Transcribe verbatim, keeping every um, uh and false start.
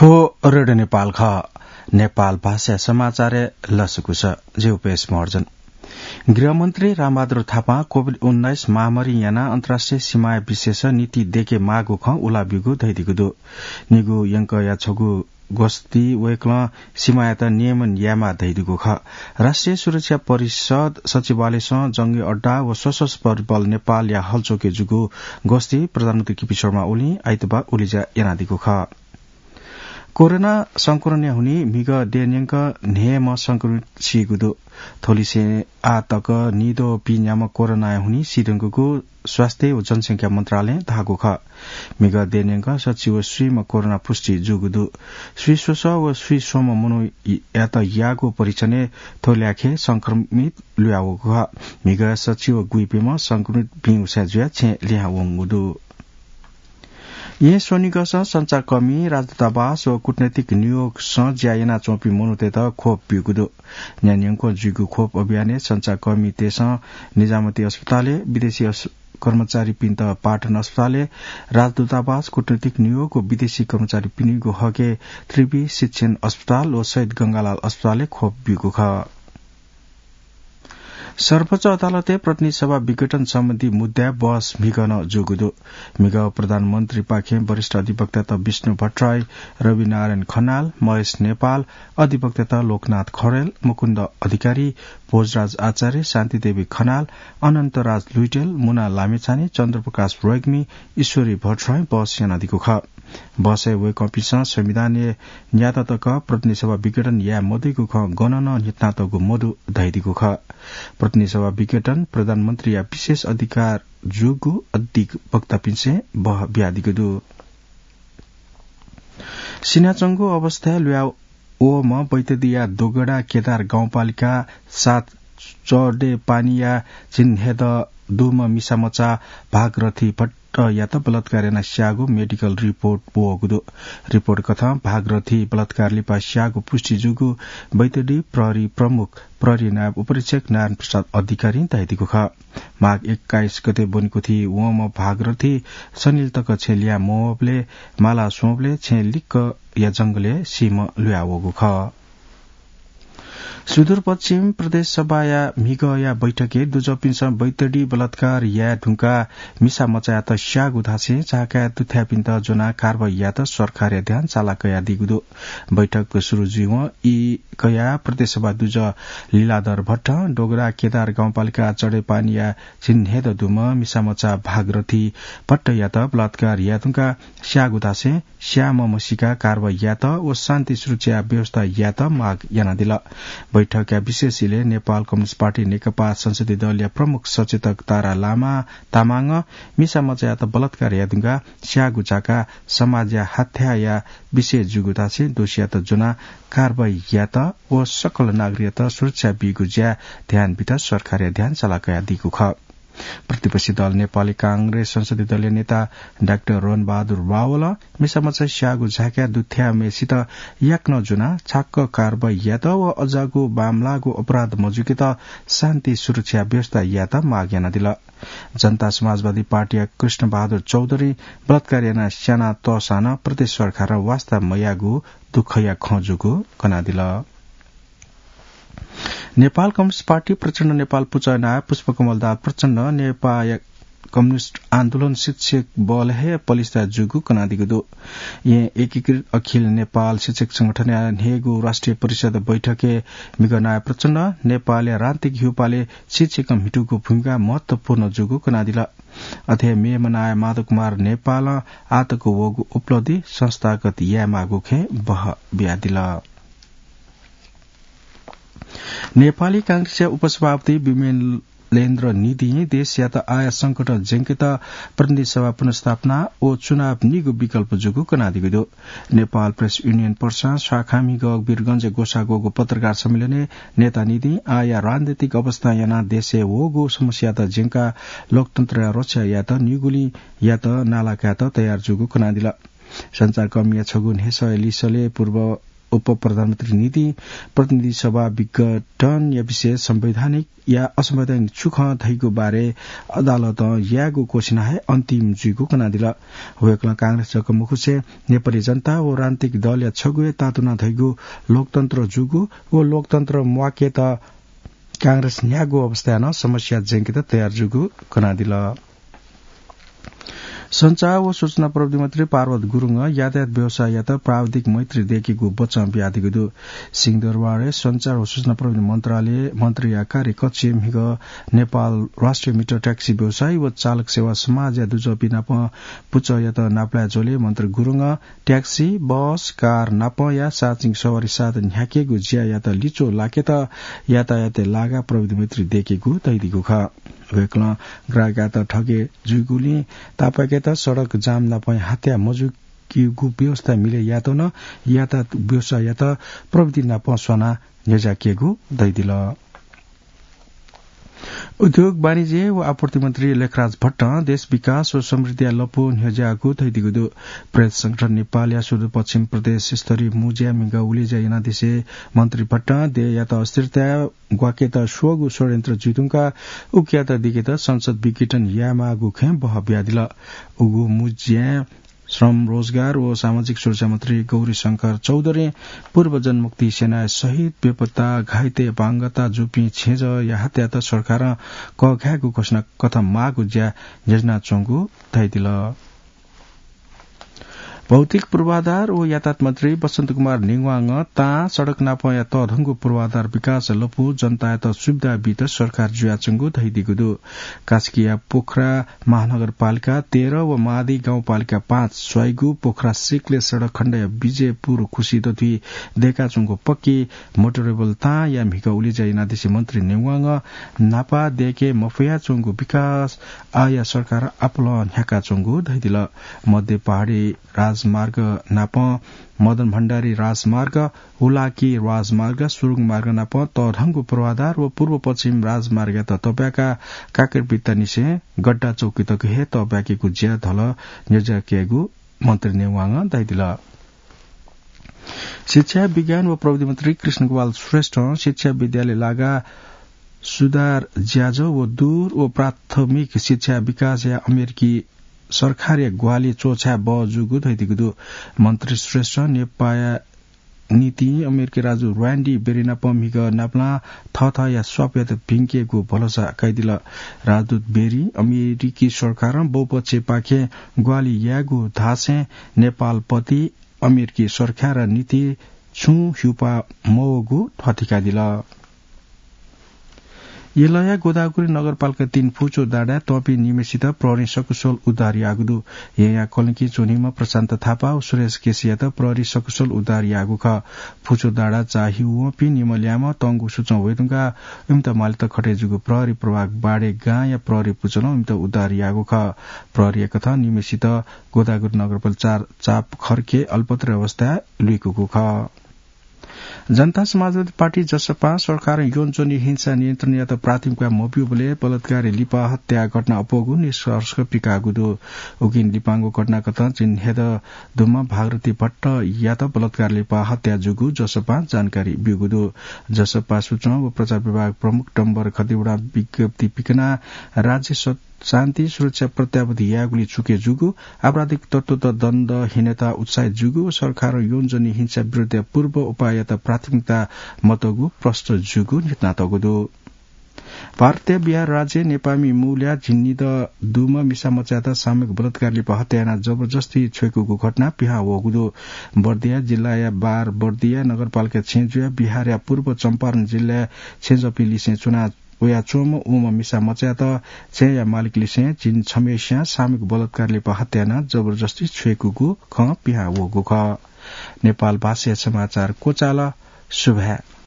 थ्व रेडियो नेपाल खः। नेपाल भाषा समाचारय् लसकुस। जि उपेश महर्जन। गृहमन्त्री रामबहादुर थापां कोभिड उन्नाइस महामारी यानाः अन्तर्राष्ट्रिय सीमाया विषयस नीति देके माःगु खँ उला ब्यूगु धयादीगु दु। निगू यंकःया छगू गस्ती वय्कलं सीमायात नियमन यायेमाः धयादीगु खः। राष्ट्रिय सुरक्षा परिषद सचिवालयसं जंगी अड्डा व सशस्त्र बल नेपालया हलचोकय् जूगु गस्ती प्रधानमन्त्री केपी शर्मा ओलीं आइतबाः उलेज्या यानादीगु खः। कोरोना संक्रमणया हुनिं म्हिगः देय् न्यंक न्हय्म्ह संक्रमित सीगु दु। थ्वलिसें आः तक नीद्वः पीन्याम्ह कोरोनाया हुनिं सीधुंकूगु स्वास्थ्य व जनसंख्या मन्त्रालयं धाःगु खः। म्हिगः देय् न्यंक सच्छि व स्वीम्ह कोरोना पुष्टि जूगु दु। स्वीस्वसः व स्वीस्वम्ह मनूयात याःगु परीक्षणय् थ्वल्याखे संक्रमित लुयावःगु खः। म्हिगः सच्छि व गुइपिम्ह संक्रमित भिं उसाँय् जुयाः छेँ लिहां वंगु दु। येँ स्वनिगःसं सञ्चारकर्मी, राजदूतावास व कूटनैतिक नियोगसं ज्या यानाच्वंपिं मनूतय्त खोप ब्यूगु दु। न्ह्यान्यंक्वं जुइगु खोप अभियानय् सञ्चारकर्मीतय्सं निजामती अस्पतालय्, विदेशी अस-, कर्मचारीपिन्त पाटन अस्पतालय्, राजदूतावास, कूटनैतिक नियोग व विदेशी कर्मचारीपिनिगु हकय् त्रिवि शिक्षण अस्पताल व शहीद गंगालाल अस्पतालय् खोप ब्यूगु खः। सर्वोच्च अदालतय् प्रतिनिधि सभा विघटन सम्बन्धी मुद्दाय् बहस म्हिगः नं जूगु दु। म्हिगः प्रधानमन्त्रीपाखें वरिष्ठ अधिवक्तात विष्णु भट्टराई, रविनारायण खनाल, महेश नेपाल, अधिवक्तात लोकनाथ खरेल, मुकुन्द अधिकारी, भोजराज आचार्य, शान्तिदेवी खनाल, अनन्तराज लुइटेल, मुना लामिछाने, चन्द्रप्रकाश रेग्मी, ईश्वरी भट्टराई बहस यानादीगु खः। बहसय् वय्कःपिन्सं संविधानय् न्याता तक प्रतिनिधि सभा विघटन याये मदइगु खँ गनं नं न्ह्यथनातःगु मदु धयादीगु खः। प्रतिनिधि सभा विघटन प्रधानमन्त्रीया विशेष अधिकार जूगु अधिवक्तापिन्सं बह बियादीगु दु। सिनाच्वंगु अवस्थाय् लुया वःम्ह बैतडीया दोगडा केदार गाउँपालिका सात चडेपानीया झिंहेद दुम्ह मिसामचा भागरथी भट्टयात बलात्कार यानाः स्याःगु मेडिकल रिपोर्ट वःगु दु। रिपोर्ट कथं भागरथी बलात्कार लिपा स्याःगु पुष्टि जूगु बैतडी प्रहरी प्रमुख प्रहरी नायब उपरीक्षक नारायण प्रसाद अधिकारीं धयादीगु खः। माघ एक्काइस गते ब्वनेकुथि वंम्ह भागरथी शनिल तक छेँ लिहां मवःबलय् माला स्वंबलय् छेँ लिक्कया जंगलय् सीम्ह लुया वःगु खः। सुदूरपश्चिम प्रदेश सभाया म्हिगःया बैठकय् दुजःपिन्सं बैतडी बलात्कार याये धुंकाः मिसामचायात स्याःगु धासें झाकाय् दुथ्याःपिन्त ज्वनाः कारवाही यायेत सरकारया ध्यान चाला कयादीगु दु। बैठक सुरु जुइवं ई कयाः प्रदेश सभा दुजः लीलाधर भट्टं डोगरा केदार गाउँपालिका चडेपानीया झिंहेद दुम्ह मिसामचा भागरथी भट्टयात बलात्कार याये धुंकाः स्याःगु धासें स्याःम्ह म्हसीका कारवाही यायेत व शान्ति सुरक्षा व्यवस्था यायेत माग यानादिल। बैठकया विशेष इलय् नेपाल कम्युनिस्ट पार्टी नेकपा संसदीय दलया प्रमुख सचेतक तारा लामा तामाङं मिसामचायात बलात्कार याये धुंकाः स्याःगु झाकाः समाजया हत्याया विषय जूगु धासें दोषीयात ज्वनाः कारवाही यायेत व सकल नागरिकयात सुरक्षा बीगु ज्याय् ध्यान बीत सरकारया ध्यान चाला कयादीगु खः। प्रतिपक्षी दल नेपाली कांग्रेस संसदीय दलया नेता डाक्टर रणबहादुर रावलं मिसामचा स्याःगु झाकाय् दुथ्याःम्हय्सित याकनं ज्वनाः छाक्क कारवाही यायेत व अज्याःगु बांमलाःगु अपराध मजुइकेत शान्ति सुरक्षा व्यवस्था यायेत माग यानादिल। जनता समाजवादी पार्टीया कृष्णबहादुर चौधरीं बलात्कार यानाः स्यानातःसां नं प्रदेश सरकारं वास्ता मयाःगु दुःखया खँ जूगु कनादिल। नेपाल कम्युनिस्ट पार्टी प्रचण्ड नेपाल पुचः नायः पुष्पकमल दाहाल प्रचण्डं नेपाःया कम्युनिस्ट आन्दोलन शिक्षक बल हे पलिस्था जूगु कनादीगु दु। येँ एकीकृत अखिल नेपाल शिक्षक संगठनया न्हय्गू राष्ट्रिय परिषद बैठकय् म्हिगः नायः प्रचण्डं नेपालया राजनीतिक ह्यूपालय् शिक्षकं म्हितूगु भूमिका महत्वपूर्ण जूगु कनादिल। अथे हे मेम्ह नायः माधव कुमार नेपालं आःतक वःगु उपलब्धि संस्थागत यायेमाःगु खँय् बह बियादिल। नेपाली कांग्रेसया उपसभापति विमलेन्द्र निधिं देशयात आःया संकटं ज्यंकेत प्रतिनिधि सभा पुनर्स्थापना व चुनाव निगू विकल्प जूगु कनादीगु दु। नेपाल प्रेस युनियन पर्सा शाखा म्हिगः वीरगंजय् ग्वसाः ग्वःगु पत्रकार सम्मेलनय् नेता निधिं आःया राजनैतिक अवस्थां यानाः देशय् वःगु समस्यात ज्यंकाः लोकतन्त्रया रक्षा यायेत निगुलिंयात नाला कायेत तयार जूगु कनादिल। सञ्चारकर्मीया छगू न्ह्यसःया लिसलय् पूर्व उपप्रधानमन्त्री नितिं प्रतिनिधि सभा विघटनया विषय संवैधानिक या असंवैधानिक छु खँ धइगु बारे अदालतं यायेगु घोषणा हे अन्तिम जुइगु कनादिल। वय्कलं कांग्रेस जक मखुसे नेपाली जनता व राजनीतिक दलया छगू हे तातुना धइगु लोकतन्त्र जूगु व लोकतन्त्र म्वाकेत कांग्रेस न्ह्यागु अवस्थाय् नं समस्या ज्यंकेत तयार जूगु कनादिल। सञ्चार व सूचना प्रविधि मन्त्री पार्वत गुरुङं यातायात व्यवसाययात प्राविधिक मैत्री दयेकेगु बचं बियादीगु दु। सिंहदरबारय् सञ्चार व सूचना प्रविधि मन्त्रालय मन्त्रीया कार्यकक्षय् म्हिगः नेपाल राष्ट्रिय मिटर ट्याक्सी व्यवसायी व चालक सेवा समाजया दुजःपिं नाप पुचःयात नापलाये ज्वलय् मन्त्री गुरुङं ट्याक्सी, बस, कार नापं या सार्वजनिक सवारी साधन न्ह्याकेगु ज्यायात लिच्वः लाकेत यातायातय् लागा प्रविधि मैत्री दयेकेगु धयादीगु खः। वय्कलं ग्राहकयात ठगे जुइगुलिं तापाकेत सडक जाम नापं हत्या मजुइगु व्यवस्था मिले यात नं यातायात व्यवसाययात प्रविधि नापं स्वाना न्ह्यज्याकेगु धयादिल। उद्योग, वाणिज्य व आपूर्ति मन्त्री लेखराज भट्टं देश विकास व समृद्धिया लँपु न्ह्यज्याःगु धयादीगु दु। प्रेस संगठन नेपालया सुदूरपश्चिम प्रदेश स्तरीय मुँज्याय् म्हिगः उलेज्या यानादिसे मन्त्री भट्टं देय्‌यात अस्थिरताय् ग्वाकेत स्वःगु षड्यन्त्र जुइधुंकाः उकियात दिकेत संसद विघटन यायेमाःगु खँय् बहः बियादिल। उगु मुँज्याय् श्रम, रोजगार व सामाजिक सुरक्षा मन्त्री गौरीशंकर चौधरीं पूर्व जनमुक्ति सेनाया शहीद, बेपत्ता, घाइते, अपाङ्गता जूपिं छेँजःया हत्यात सरकारं कःघायेगु घोषणा कथं माःगु ज्या न्ह्यज्यानाच्वंगु धयादिल। भौतिक पूर्वाधार व यातायात मन्त्री बसन्त कुमार नेवांगं तां सडक नापंया तःधंगु पूर्वाधार विकास लँपु जनतायात सुविधा बीत सरकार जुयाच्वंगु धयादीगु दु। कास्कीया पोखरा महानगरपालिका तेह्र व मादी गाउँपालिका पाँच स्वाइगु पोखरा सिक्ले सडक खण्डया विजयपुर खुसी दथुइ दयेकाच्वंगु पक्की मोटरेबल तांया म्हिगः उलेज्या यानादिसे मन्त्री नेवांगं न्हापा दयेके मफयाच्वंगु विकास आःया सरकार आपालं न्ह्याकाच्वंगु धयादिल। मध्य पहाडी राजमार्ग नापं मदन भण्डारी राजमार्ग, हुलाकी राजमार्ग, सुरुङ मार्ग नापं तःधंगु पूर्वाधार व पूर्व पश्चिम राजमार्गयात तःब्याकाः काकरबित्तानिसें गड्डा चौकी तक हे तःब्याकेगु ज्या धलः न्ह्यज्याकेगु मन्त्री नेवांगं धयादिल। शिक्षा, विज्ञान व प्रविधि मन्त्री कृष्ण गोपाल श्रेष्ठं शिक्षा विद्यालय लागा सुधार ज्याझ्वः व दूर व प्राथमिक शिक्षा विकासया अमेरिकी सरकारया ग्वाहालि च्वछाये बहः जूगु धयादीगु दु। मन्त्री श्रेष्ठं नेपाःया निंतिं अमेरिकी राजदूत र्‍यान्डी बेरी नाप म्हिगः नापलां थःथःया स्वापयात भिंकेगु भलसा कयादिल। राजदूत बेरीं अमेरिकी सरकारं बहुपक्षीयपाखें ग्वाहालि यायेगु धासें नेपालप्रति अमेरिकी सरकारया निंतिं छुं ह्यूपाः मवःगु ध्वाथुइकादिल। यलया गोदावरी नगरपालिका तीन फुचो डाँडाय् तःपिं निम्हय्‌सित प्रहरीं सकुशल उद्धार याःगु दु। येँया कलंकिं च्वनीम्ह प्रशान्त थापा व सुरेश केसीयात प्रहरीं सकुशल उद्धार याःगु खः। फुचो डाँडा चाःहिउ वंपिं निम्ह ल्याय्‌म्ह तंगु सूचं वयेधुंकाः इमित मालेत खटे जूगु प्रहरी प्रभाग बाडे गाँया प्रहरी पुचलं इमित उद्धार याःगु खः। प्रहरीया कथं निम्हय्‌सित गोदावरी नगरपालिका चार चाप खर्के अल्पत्र अवस्थाय् लुइकूगु खः। जनता समाजवादी पार्टी, जसपां, सरकारं यौनजन्य हिंसा नियन्त्रण यायेत प्राथमिकता मब्यूबलय् बलात्कारी लिपा हत्या घटना अप्वःगु निष्कर्ष पिकाःगु दु। उकिं लिपांगु घटनाकथं चिन्हेदँ दुम्ह भागरथी भट्टयात बलात्कारी लिपा हत्या जूगु जसपां जानकारी ब्यूगु दु। जसपा सूचना व प्रचार विभाग प्रमुख डम्बर खतिवडां विज्ञप्ति पिकनाः राज्य स- शान्ति सुरक्षा प्रत्याभूत यायेगुली चुके जूगु, आपराधिक तत्वत दण्ड हिनेत उत्साहित जूगु व सरकारं यौनजन्य हिंसा विरुद्धया पूर्व उपाययात प्राथमिकता मतःगु प्रष्ट जूगु न्ह्यथनातःगु दु। भारतया बिहार राज्य नेपाःमि मूलया झिंनिदँ दुम्ह मिसामचायात सामूहिक बलात्कार लिपा हत्या यानाः जबरजस्ती छ्वय्‌कूगु घटना पिहां वःगु दु। बर्दिया जिल्लाया बार बर्दिया नगरपालिका छेँजूया बिहारया पूर्व चम्पारण जिल्लाय् छेँजःपिं लिसें च्वना वयाच्वंम्ह उम्ह मिसामचायात छेँया मालिकलिसें झिंछम्हेसियां सामूहिक बलात्कार लिपा हत्या यानाः जबरजस्ती छ्वय्‌कूगु खँ पिहां वःगु खः। नेपाल भाषाया समाचार क्वचाल। सुभाय्।